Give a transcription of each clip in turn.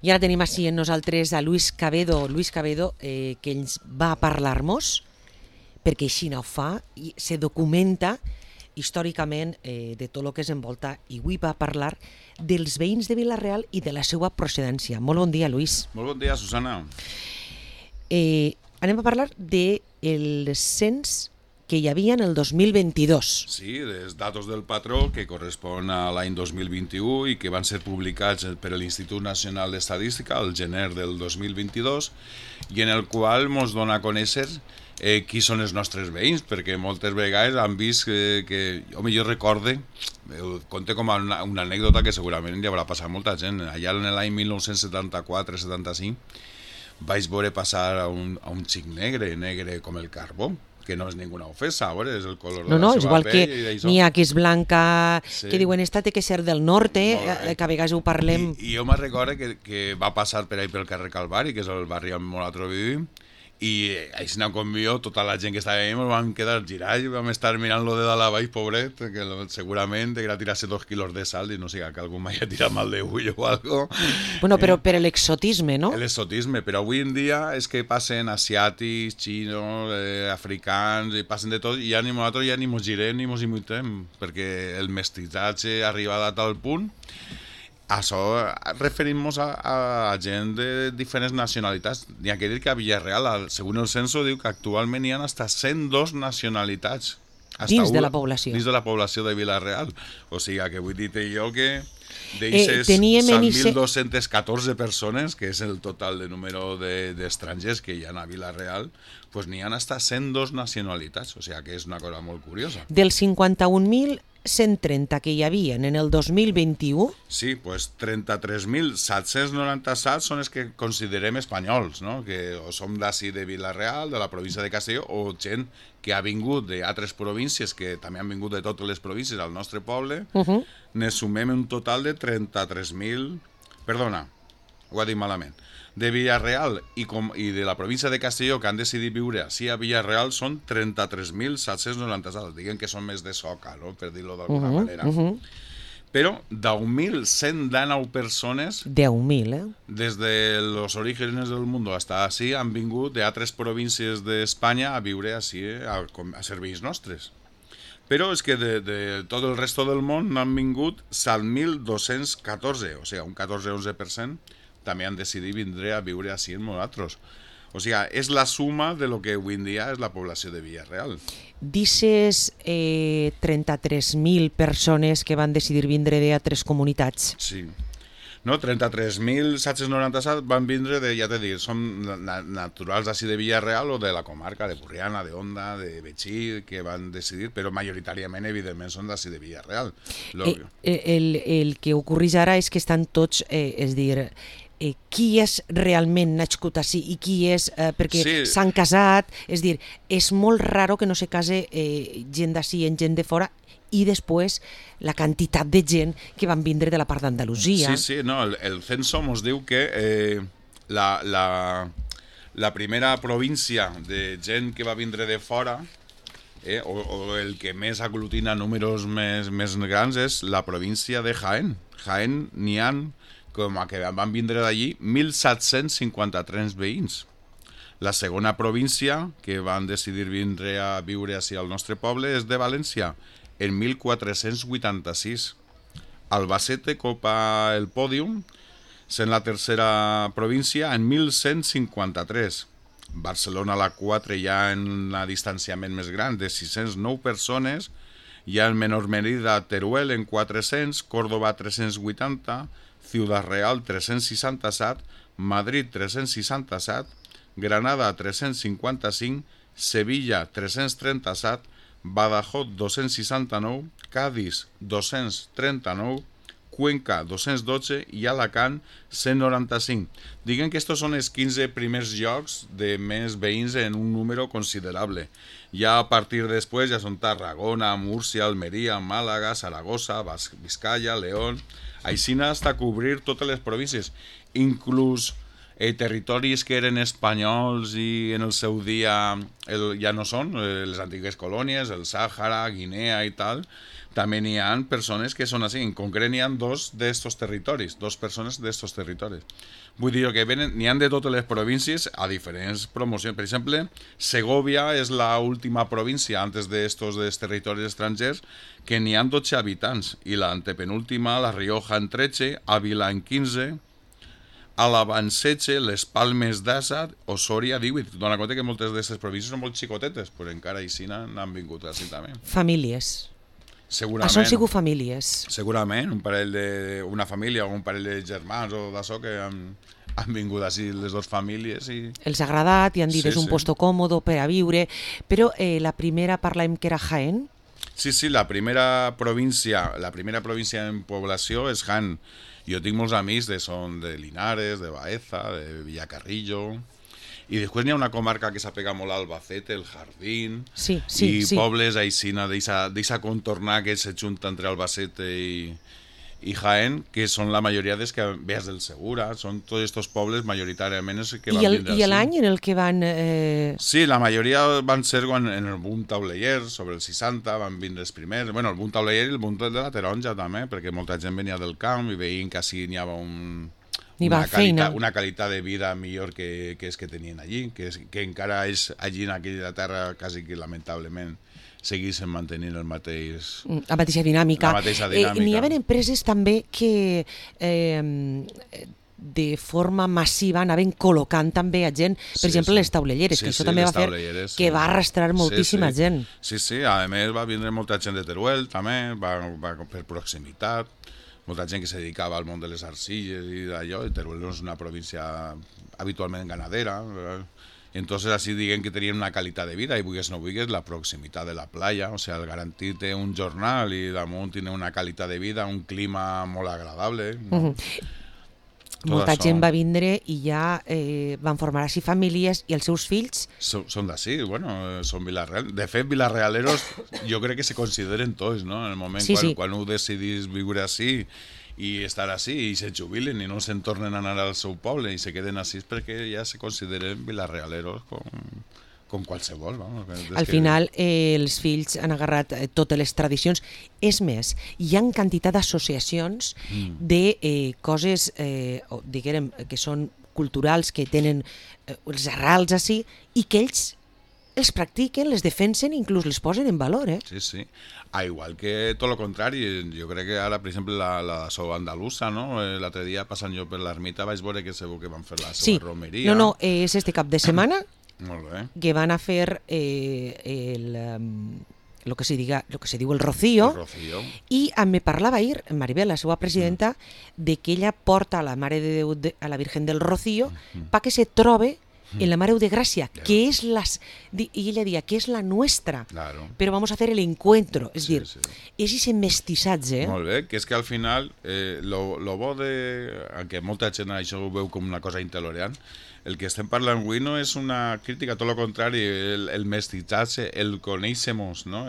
I ara tenim així en nosaltres a Luis Cabedo, que ens va a parlar-nos, perquè així no ho fa, i se documenta històricament de tot el que es envolta, i avui va parlar dels veïns de Vila-real i de la seva procedència. Molt bon dia, Luis. Molt bon dia, Susana. Anem a parlar del cens que hi havia en el 2022. Sí, els datos del patró que correspon a l'any 2021 i que van ser publicats per l'Institut Nacional d'Estadística al gener del 2022 i en el qual ens dona a conèixer qui són els nostres veïns, perquè moltes vegades han vist que home, jo recorde, ho conte com una anècdota que segurament hi haurà passat molta gent. Allà en l'any 1974-75 vaig veure passar a un xic negre com el carbó, que no és ninguna ofensa, és el color de la seva és igual pell. Que n'hi ha que és blanca, sí. Que diuen esta té que ser del norte, que a vegades ho parlem. I jo me'n recordo que va passar per ahí pel carrer Calvari, que és el barri on nosaltres vivim, i així com jo, tota la gent que estava allà ens vam quedar girats, vam estar mirant-lo de dalt a baix, pobret, que segurament deurà tirar-se 2 quilos de sal i no siga que algú m'hagi tirat mal de ull o algo. Bueno, però per l'exotisme, no? L'exotisme, però avui en dia és que passen asiàtics, xinos, africans, i passen de tot, i ja nosaltres ja ni mos girem ni mos imitem, perquè el mestizatge ha arribat a tal punt. Això referim-nos a gent de diferents nacionalitats. N'hi ha que dir que a Villarreal, segons el censo, diu que actualment hi ha fins a 102 nacionalitats. Dins de la població. Dins de la població de Villarreal. O sigui, que vull dir-te jo que d'eixes 7.214 persones, que és el total de número d'estrangers que hi ha a Villarreal, doncs n'hi ha fins a 102 nacionalitats. O sigui, que és una cosa molt curiosa. Dels 51.130 que hi havia en el 2021... Sí, doncs 33.797 són els que considerem espanyols, no? Que o som d'ací de Vila-real, de la província de Castelló, o gent que ha vingut d'altres províncies, que també han vingut de totes les províncies al nostre poble, ne sumem un total de 33.000... Perdona, ho ha dit malament. De Villarreal i de la província de Castelló, que han decidit viure així a Villarreal, són 33.797. Diguem que són més de soca, no? Per dir-ho d'alguna manera. Però 10.119 persones... 10.000, des de los orígenes del mundo hasta així han vingut d'altres províncies d'Espanya a viure així, a serveis nostres. Però és que de tot el resto del món n'han vingut 7.214, o sigui, un 14-11%, també han decidit vindre a viure així en nosaltres. O sigui, és la suma de lo que avui en dia és la població de Villarreal. D'ixes 33.000 persones que van decidir vindre d'altres comunitats. Sí. No, 33.797 van vindre de, ja t'he dit, són naturals així de Villarreal o de la comarca de Burriana, de Onda, de Betxí, que van decidir, però majoritàriament, evidentment, són d'així de Villarreal. El que ocorreix ara és que estan tots, és dir, qui és realment nascut així i qui és perquè s'han casat, és dir, és molt raro que no se case gent d'ací en gent de fora, i després la quantitat de gent que van vindre de la part d'Andalusia. Sí, no, el censo ens diu que la primera província de gent que va vindre de fora, o el que més aglutina números més grans, és la província de Jaén. Jaén n'hi ha, com a que van vindre d'allí, 1.753 veïns. La segona província que van decidir vindre a viure així al nostre poble és de València, en 1486. Albacete copa el pòdium, sent la tercera província, en 1153. Barcelona, la 4, ja en un distanciament més gran, de 609 persones, ja en menor medida Teruel, en 400, Córdoba, 380, Ciudad Real, 367, Madrid, 367, Granada, 355, Sevilla, 337, Badajoz 269, Cádiz 239, Cuenca 212 i Alacant 195. Diguem que estos són els 15 primers llocs de més veïns en un número considerable. Ja a partir després ja són Tarragona, Múrcia, Almeria, Màlaga, Saragossa, Vizcaya, León, així hasta cobrir totes les províncies, inclús territoris que eren espanyols i en el seu dia ja no són, les antigues colònies, el Sàhara, Guinea i tal, també n'hi ha persones que són així. En concret n'hi ha dos d'estos territoris, dos persones d'estos territoris. Vull dir que n'hi ha de totes les províncies a diferents promocions. Per exemple, Segovia és l'última província antes d'estos territoris estrangers que n'hi ha 12 habitants i l'antepenúltima, La Rioja, en 13, Ávila, en 15, Àlava, en 16, Les Palmes d'Assa, Osòria, 18. Dóna compte que moltes d'aquestes províncies són molt xicotetes, però encara així n'han vingut així també. Famílies. Segurament. Això han sigut famílies. Segurament, una família o un parell de germans o d'això que han vingut així les dues famílies. Els ha agradat i han dit és un puesto còmodo per a viure, però la primera parlem que era Jaén. Sí, la primera província en població és Jaén. Jo tinc molts amics són de Linares, de Baeza, de Villacarrillo. I després n'hi ha una comarca que s'apega molt a Albacete, el Jardín, i pobles aixina d'eixa contornar que s'ajunta entre Albacete i Jaén, que són la majoria dels que veus del Segura, són tots aquests pobles majoritàriament que van vindre I l'any en el que van... Sí, la majoria van ser en el boom tauleller, sobre el 60, van vindre els primers. Bueno, el boom tauleller i el boom de la taronja també, perquè molta gent venia del camp i veien que així n'hi havia una qualitat de vida millor que és que tenien allí, que encara és allí en aquella terra quasi que lamentablement seguissin mantenint la mateixa dinàmica. N'hi havia empreses també que de forma massiva anaven col·locant també a gent, per exemple les taulelleres, que això també va fer que va arrastrar moltíssima gent. Sí, a més va vindre molta gent de Teruel també, va per proximitat, molta gent que se dedicava al món de les arcilles i d'allò, i Teruel és una província habitualment ganadera, entonces así diguen que tenien una qualitat de vida i vulguis no vulguis la proximitat de la playa, o sigui, el garantir-te un jornal i damunt tenir una qualitat de vida, un clima molt agradable. Molta gent va vindre i ja van formar així famílies i els seus fills... Són d'ací, són Vila-real. De fet, vilarealeros jo crec que se consideren tots, no? En el moment quan ho decidís viure així i estar així i se jubilen i no se'n tornen a anar al seu poble i se queden així perquè ja se consideren vilarealeros com qualsevol. Al final els fills han agarrat totes les tradicions. És més, hi ha quantitat d'associacions de coses, diguem, que són culturals, que tenen els arrels així, i que ells els practiquen, les defensen i inclús les posen en valor. Sí. Igual que tot el contrari, jo crec que ara, per exemple, la so andalusa, no? L'altre dia passant jo per l'ermita vaig veure que segur que van fer la seva romeria. No, és este cap de setmana que van a fer lo que se diu el Rocío. I me parlava ahir Maribel, la seva presidenta, de que ella porta a la Mare de Déu, a la Virgen del Rocío, perquè se trobe en la Mare de Gracia, que es y ella decía que es la nuestra, pero vamos a hacer el encuentro, es decir, és ese mestissatge. Molt bé, que és que al final lo bo que molta gent això ho veu com una cosa intolerant, el que estem parlant avui no és una crítica, tot el contrari, el mestissatge, el conèixer-nos, no?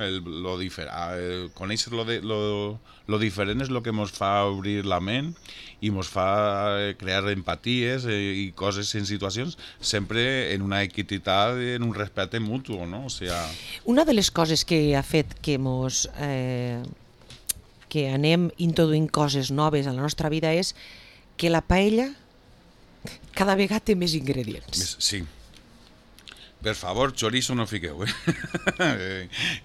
Conèixer lo diferent és el que ens fa obrir la ment i ens fa crear empaties i coses en situacions sempre en una equitat, en un respecte mutu, no? O sigui... Una de les coses que ha fet que que anem introduint coses noves a la nostra vida és que la paella cada vegada té més ingredients. Sí. Per favor, chorizo no fiqueu,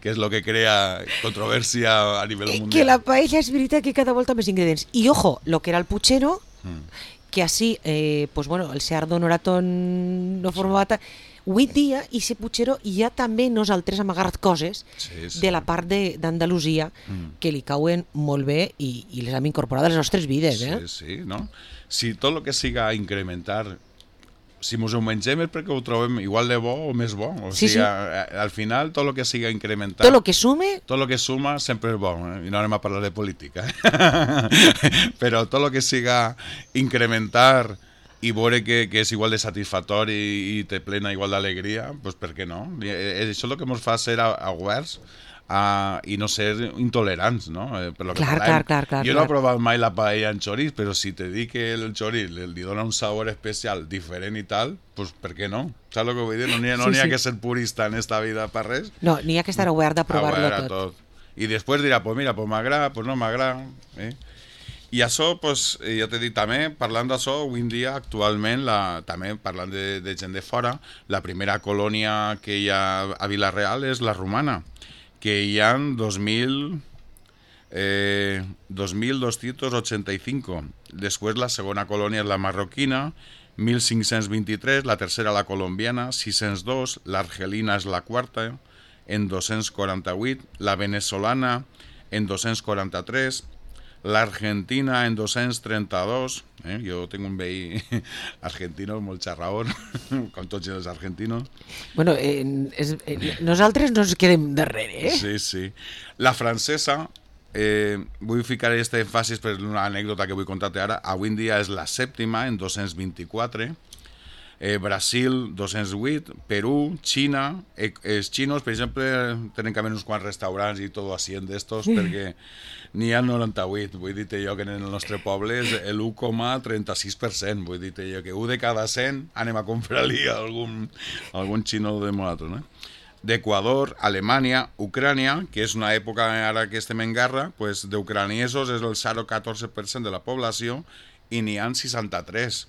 que és el que crea controvèrsia a nivell mundial. Que la paella és veritat que cada volta més ingredients. I ojo, lo que era el puchero, que així, el Seardo Noratón no formava... Avui dia, i ese puchero, ja també nosaltres hem agarrat coses de la part d'Andalusia que li cauen molt bé i les hem incorporat a les nostres vides. Sí, no? Si tot el que siga incrementar, si ens ho mengem és perquè ho trobem igual de bo o més bo. O sigui, al final, tot el que siga incrementar... Tot el que sume... Tot el que suma sempre és bo, i no anem a parlar de política. Però tot el que siga incrementar i veure que és igual de satisfactori i te plena igual d'alegria, doncs per què no? Això és el que ens fa ser oberts i no ser intolerants, no? Clar. Jo no he provat mai la paella en xoriç, però si te dic que el xoriç li dona un sabor especial, diferent i tal, doncs per què no? Saps el que vull dir? No n'hi ha que ser purista en esta vida per res. No, n'hi ha que estar obert a provar-lo tot. I després dirà, pues mira, pues m'agrada, pues no m'agrada. I això, pues, ja t'he dit també, parlant d'això, avui en dia, actualment, també parlant de gent de fora, la primera colònia que hi ha a Vila-real és la romana, que hi ha 2.285. Després la segona colònia és la marroquina, 1.523, la tercera la colombiana, 602, l'argelina és la quarta, en 248, la venezolana en 243, l'Argentina en 232, jo tinc un veí argentino molt xarraón, com tots els argentinos. Bueno, nosaltres no ens quedem darrere, Sí, sí. La francesa, vull ficar aquest èmfasis per una anècdota que vull contar-te ara, avui en dia és la sèptima, en 224, Brasil 208, Perú, Xina, els xinos, per exemple, tenen que haver uns quants restaurants i tot així d'estos, perquè n'hi ha 98, vull dir-te jo que en el nostre poble és l'1,36%, vull dir-te jo que 1 de cada 100 anem a comprar-li algun xino de nosaltres, no? D'Equador, Alemanya, Ucrània, que és una època ara que estem en guerra, pues, d'ucraniesos és el 0,14% de la població i n'hi ha 63.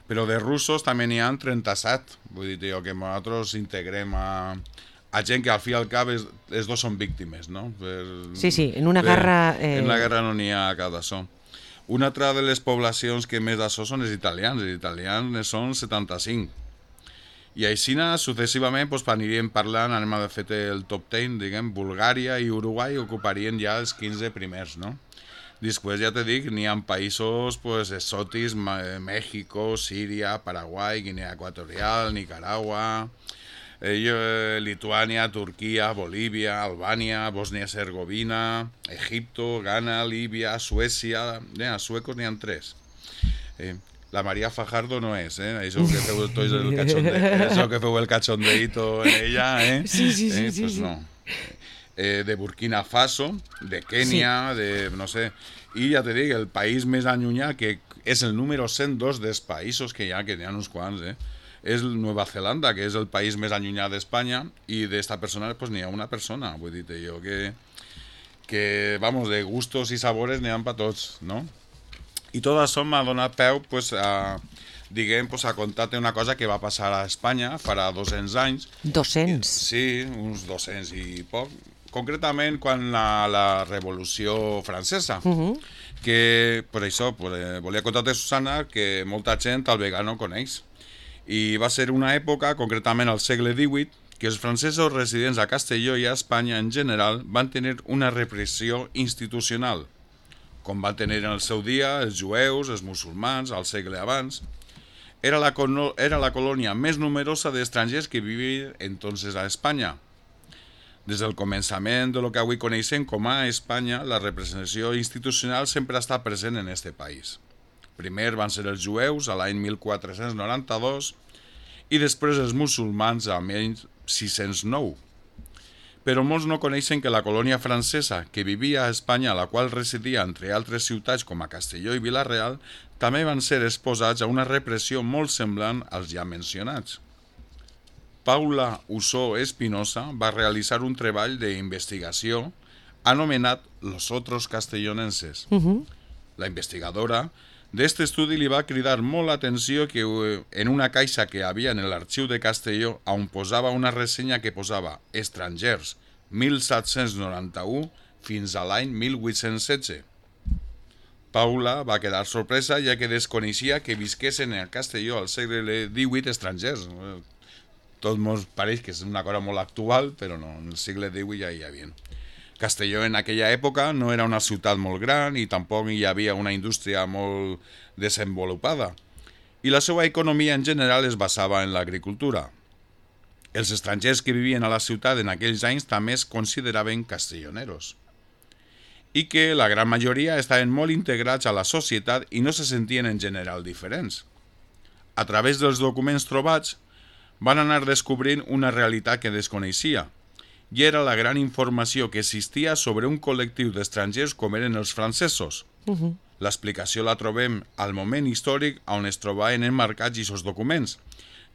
Però de russos també n'hi ha 37. Vull dir jo que nosaltres integrem a gent que al fi i al cap els dos són víctimes, no? Sí, en una guerra... En la guerra no n'hi ha cap d'això. Una altra de les poblacions que més d'això són els italians. Els italians són 75. I així, successivament, doncs, aniríem parlant, anem a fer el top 10, diguem, Bulgària i Uruguai ocuparien ja els 15 primers, no? Després, ja te dic, n'hi ha països pues, exòtics, Mèxico, Síria, Paraguai, Guinea Equatorial, Nicaragua, Lituània, Turquia, Bolívia, Albània, Bòsnia-Hercegovina, Egipto, Ghana, Líbia, Suècia... Els suecos n'hi ha 3. La María Fajardo no és, això que feu el cachondeito en ella, Sí. Pues no. De Burkina Faso, de Kènia, no sé, i ja te dic, el país més allunyat, que és el número 102 dels països que hi ha uns quants, és Nova Zelanda, que és el país més allunyat d'Espanya, i d'esta persona pues, n'hi ha una persona, vull dir-te jo que, vamos, de gustos i sabores n'hi ha per tots, no? I tot això m'ha donat peu, pues, a contar-te una cosa que va passar a Espanya farà 200 anys. 200? Sí, uns 200 i poc. Concretament, quan la Revolució Francesa, que per això volia contar-te, Susana, que molta gent al vegà no coneix. I va ser una època, concretament al segle XVIII, que els francesos residents a Castelló i a Espanya en general van tenir una repressió institucional, com van tenir en el seu dia els jueus, els musulmans, al segle abans. Era la colònia més numerosa d'estrangers que vivien entonces a Espanya. Des del començament de lo que avui coneixem com a Espanya, la representació institucional sempre ha estat present en este país. Primer van ser els jueus a l'any 1492 i després els musulmans a l'any 609. Però molts no coneixen que la colònia francesa que vivia a Espanya, la qual residia entre altres ciutats com a Castelló i Vila-real, també van ser exposats a una repressió molt semblant als ja mencionats. Paula Usó Espinosa va realitzar un treball d'investigació anomenat Los Otros Castellonenses. La investigadora d'este estudi li va cridar molt l'atenció que en una caixa que havia en l'arxiu de Castelló, on posava una ressenya que posava estrangers 1791 fins a l'any 1816. Paula va quedar sorpresa ja que desconeixia que visquessin a Castelló al segle XVIII estrangers. Tot ens pareix que és una cosa molt actual, però no, en el segle XVIII ja hi havia. Castelló en aquella època no era una ciutat molt gran i tampoc hi havia una indústria molt desenvolupada. I la seva economia en general es basava en l'agricultura. Els estrangers que vivien a la ciutat en aquells anys també es consideraven castelloneros. I que la gran majoria estaven molt integrats a la societat i no se sentien en general diferents. A través dels documents trobats van anar descobrint una realitat que desconeixia, i era la gran informació que existia sobre un col·lectiu d'estrangers com eren els francesos. L'explicació la trobem al moment històric on es trobaven emmarcats aquests documents,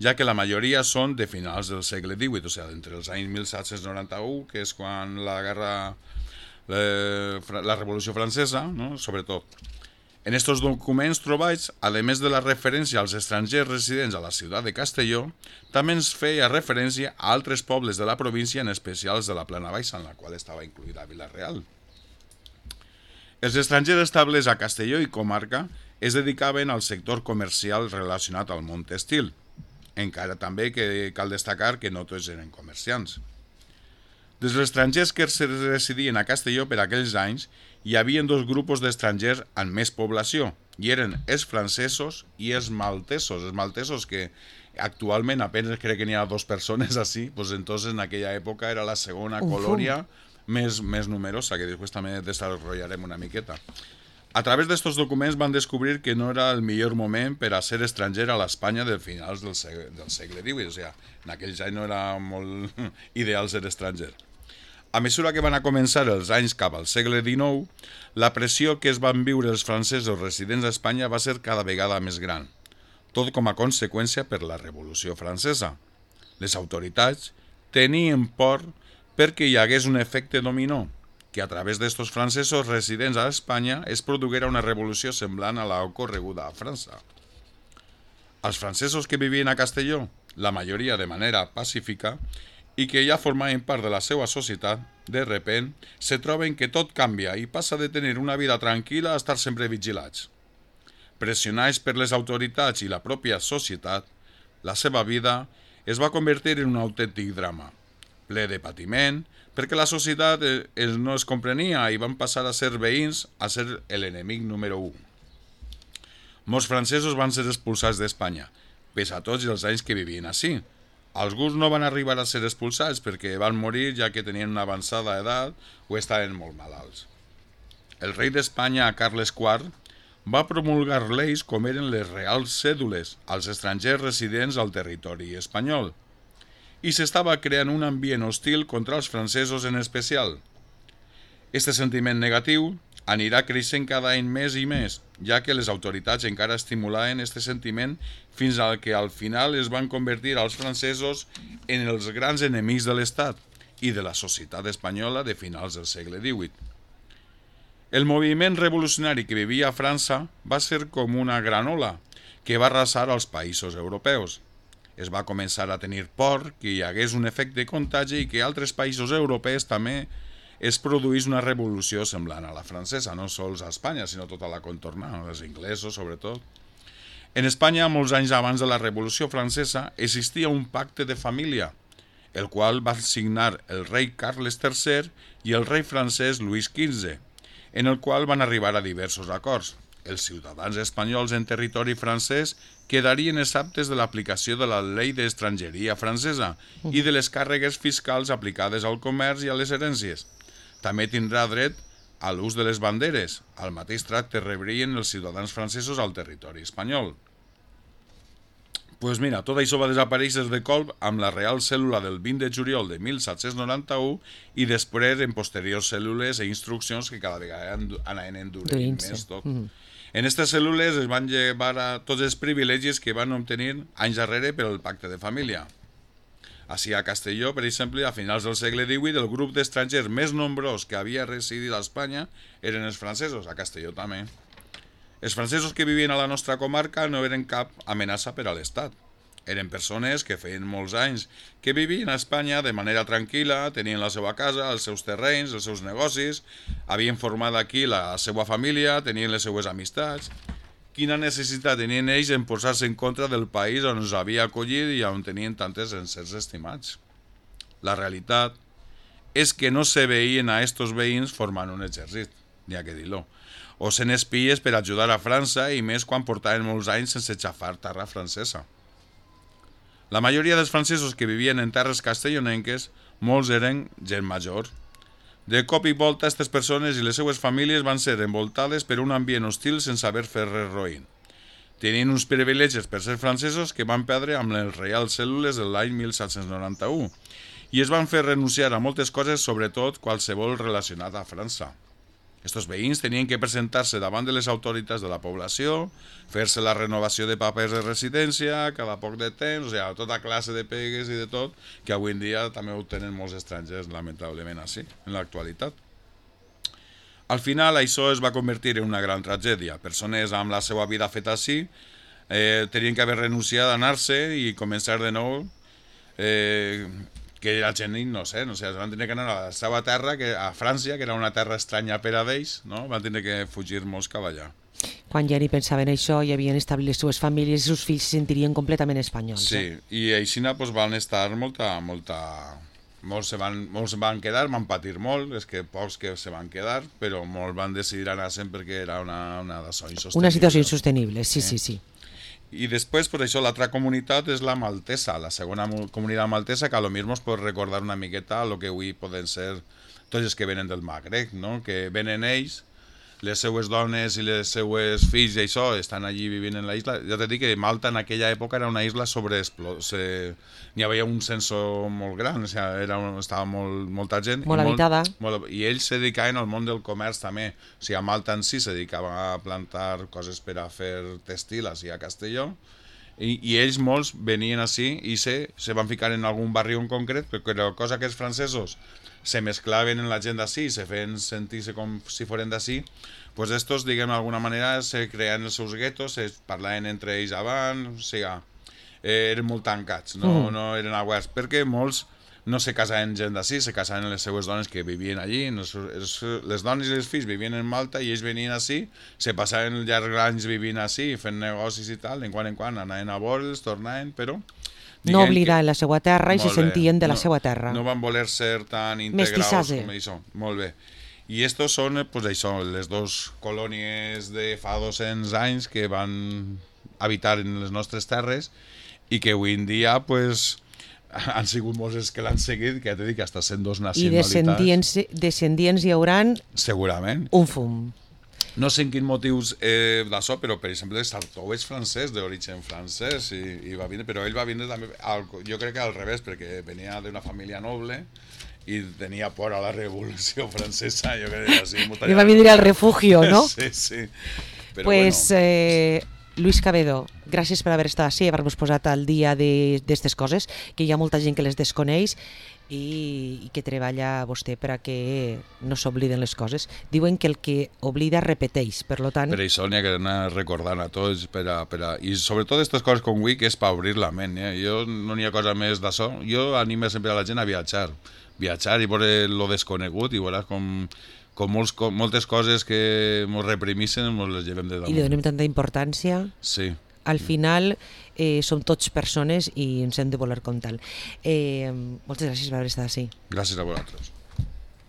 ja que la majoria són de finals del segle XVIII, o sigui, entre els anys 1791, que és quan la guerra la Revolució Francesa, no? Sobretot. En estos documents trobats, a més de la referència als estrangers residents a la ciutat de Castelló, també ens feia referència a altres pobles de la província, en especial de la Plana Baixa, en la qual estava incluïda Vila-real. Els estrangers establerts a Castelló i comarca es dedicaven al sector comercial relacionat al món tèxtil, encara també que cal destacar que no tots eren comerciants. Dels estrangers que residien a Castelló per aquells anys, hi havia dos grups d'estrangers amb més població, i eren els francesos i els maltesos. Els maltesos, que actualment apenas crec que n'hi ha 2 persones així, doncs entonces en aquella època era la segona colònia més numerosa, que després també desarrollarem una miqueta. A través d'estos documents van descobrir que no era el millor moment per a ser estranger a l'Espanya de finals del segle XVIII, o sigui, en aquells anys no era molt ideal ser estranger. A mesura que van a començar els anys cap al segle XIX, la pressió que es van viure els francesos residents a Espanya va ser cada vegada més gran, tot com a conseqüència per la Revolució Francesa. Les autoritats tenien por perquè hi hagués un efecte dominó, que a través d'estos francesos residents a Espanya es produguera una revolució semblant a la ocorreguda a França. Els francesos que vivien a Castelló, la majoria de manera pacífica, i que ja formaven part de la seva societat, de repent se troben que tot canvia i passa de tenir una vida tranquil·la a estar sempre vigilats. Pressionats per les autoritats i la pròpia societat, la seva vida es va convertir en un autèntic drama, ple de patiment, perquè la societat no es comprenia i van passar a ser veïns a ser l'enemic número 1. Molts francesos van ser expulsats d'Espanya, pese a tots els anys que vivien així. Alguns no van arribar a ser expulsats perquè van morir ja que tenien una avançada edat o estaven molt malalts. El rei d'Espanya, Carles IV, va promulgar lleis com eren les reals cèdules als estrangers residents al territori espanyol, i s'estava creant un ambient hostil contra els francesos en especial. Este sentiment negatiu anirà creixent cada any més i més, ja que les autoritats encara estimulaven este sentiment fins al que al final es van convertir els francesos en els grans enemics de l'Estat i de la societat espanyola de finals del segle XVIII. El moviment revolucionari que vivia a França va ser com una gran ola que va arrasar als països europeus. Es va començar a tenir por que hi hagués un efecte contagi i que altres països europeus també es produís una revolució semblant a la francesa, no sols a Espanya, sinó tota la contorna, els inglesos sobretot. En Espanya, molts anys abans de la Revolució Francesa, existia un pacte de família, el qual va signar el rei Carles III i el rei francès Louis XV, en el qual van arribar a diversos acords. Els ciutadans espanyols en territori francès quedarien exempts de l'aplicació de la llei d'estrangeria francesa i de les càrregues fiscals aplicades al comerç i a les herències. També tindrà dret a l'ús de les banderes. El mateix tracte rebrien els ciutadans francesos al territori espanyol. Pues mira, tot això va desaparèixer de colp amb la Real Cèl·lula del 20 de juliol de 1791 i després en posteriors cèl·lules i instruccions que cada vegada anaven endurint més tot. En aquestes cèl·lules es van llevar a tots els privilegis que van obtenir anys darrere per el pacte de família. Així a Castelló, per exemple, a finals del segle XVIII, el grup d'estrangers més nombrós que havia residit a Espanya eren els francesos, a Castelló també. Els francesos que vivien a la nostra comarca no eren cap amenaça per a l'Estat. Eren persones que feien molts anys que vivien a Espanya de manera tranquil·la, tenien la seva casa, els seus terrenys, els seus negocis, havien format aquí la seva família, tenien les seues amistats. Quina necessitat tenien ells en posar-se en contra del país on els havia acollit i on tenien tantes éssers estimats? La realitat és que no se veien a estos veïns formant un exèrcit, n'hi ha que dir-lo, o sent espies per ajudar a França i més quan portaven molts anys sense xafar terra francesa. La majoria dels francesos que vivien en terres castellonenques, molts eren gent major. De cop i volta, aquestes persones i les seues famílies van ser envoltades per un ambient hostil sense haver fet res roïn. Tenien uns privilegis per ser francesos que van perdre amb les Reals Cèl·lules de l'any 1791 i es van fer renunciar a moltes coses, sobretot qualsevol relacionat a França. Estos veïns tenien que presentar-se davant de les autoritats de la població, fer-se la renovació de papers de residència cada poc de temps, o sigui, tota classe de pegues i de tot, que avui en dia també ho tenen molts estrangers, lamentablement, així, en l'actualitat. Al final això es va convertir en una gran tragèdia. Persones amb la seva vida feta així tenien que haver renunciat a anar-se i començar de nou, que la gent innocent, o sigui, van tenir que anar a la seva terra, a França, que era una terra estranya per a ells, no? Van tenir que fugir molts cap allà. Quan ja ni pensaven això i havien establit les seves famílies i els seus fills se sentirien completament espanyols. Sí, i així pues, van estar molts se van quedar, van patir molt, és que pocs que se van quedar, però molts van decidir anar-se'n perquè era una situació insostenible, sí. I després, per això, l'altra comunitat és la maltesa, la segona comunitat maltesa, que a lo millor ens pot recordar una miqueta el que avui poden ser tots els que venen del Magreb, no? Que venen ells, les seues dones i les seues fills i això estan allí vivint en la isla. Ja t'he dit que Malta en aquella època era una isla n'hi havia un censo molt gran, o sigui, estava molta gent. Molt habitada. I ells se dedicaven al món del comerç també. O sigui, a Malta en si se dedicava a plantar coses per a fer textil així a Castelló. I ells molts venien així i se van ficar en algun barri en concret, perquè la cosa que els francesos se mesclaven en la gent d'ací, se feien sentir-se com si foren d'ací, pues estos, diguem, d'alguna manera, se creaven els seus guetos, se parlaven entre ells abans, o sigui, eren molt tancats, no eren oberts, perquè molts no se casaven gent d'ací, se casaven les seues dones que vivien allí, les dones i els fills vivien en Malta i ells venien així, se passaven llargs anys vivint així, fent negocis i tal, en quan anaven a veure'ls, tornaven, però no oblidaven la seva terra i se sentien de la seva terra. No van voler ser tan integrats com això. Molt bé. I estos són, pues això, les dues colònies de fa 200 anys que van habitar en les nostres terres i que avui en dia, pues, han sigut molts els que l'han seguit, que ja t'he dit que hasta sent dos nacionalitats. I descendients hi hauran... Segurament. Un fum. No sé en quins motius d'això, però per exemple Sartou és francès, d'origen francès, i va vindre, però ell va vindre també, jo crec que al revés, perquè venia d'una família noble i tenia por a la revolució francesa, jo crec que així. I va vindre al refugio, no? Sí. Però pues, Luis Cabedo, gràcies per haver estat així i haver-nos posat al dia d'aquestes coses, que hi ha molta gent que les desconeix i que treballa vostè per a que no s'obliden les coses. Diuen que el que oblida repeteix, per tant... Per això n'hi ha que anar recordant a tots i sobretot aquestes coses com avui, que és per obrir la ment. Jo no n'hi ha cosa més d'això. Jo animo sempre a la gent a viatjar i veure lo desconegut i veuràs com moltes coses que ens reprimissen ens les llevem de damunt. I li donem tanta importància. Sí. Al final som tots persones i ens hem de voler comptar. Moltes gràcies per haver estat així. Gràcies a vosaltres.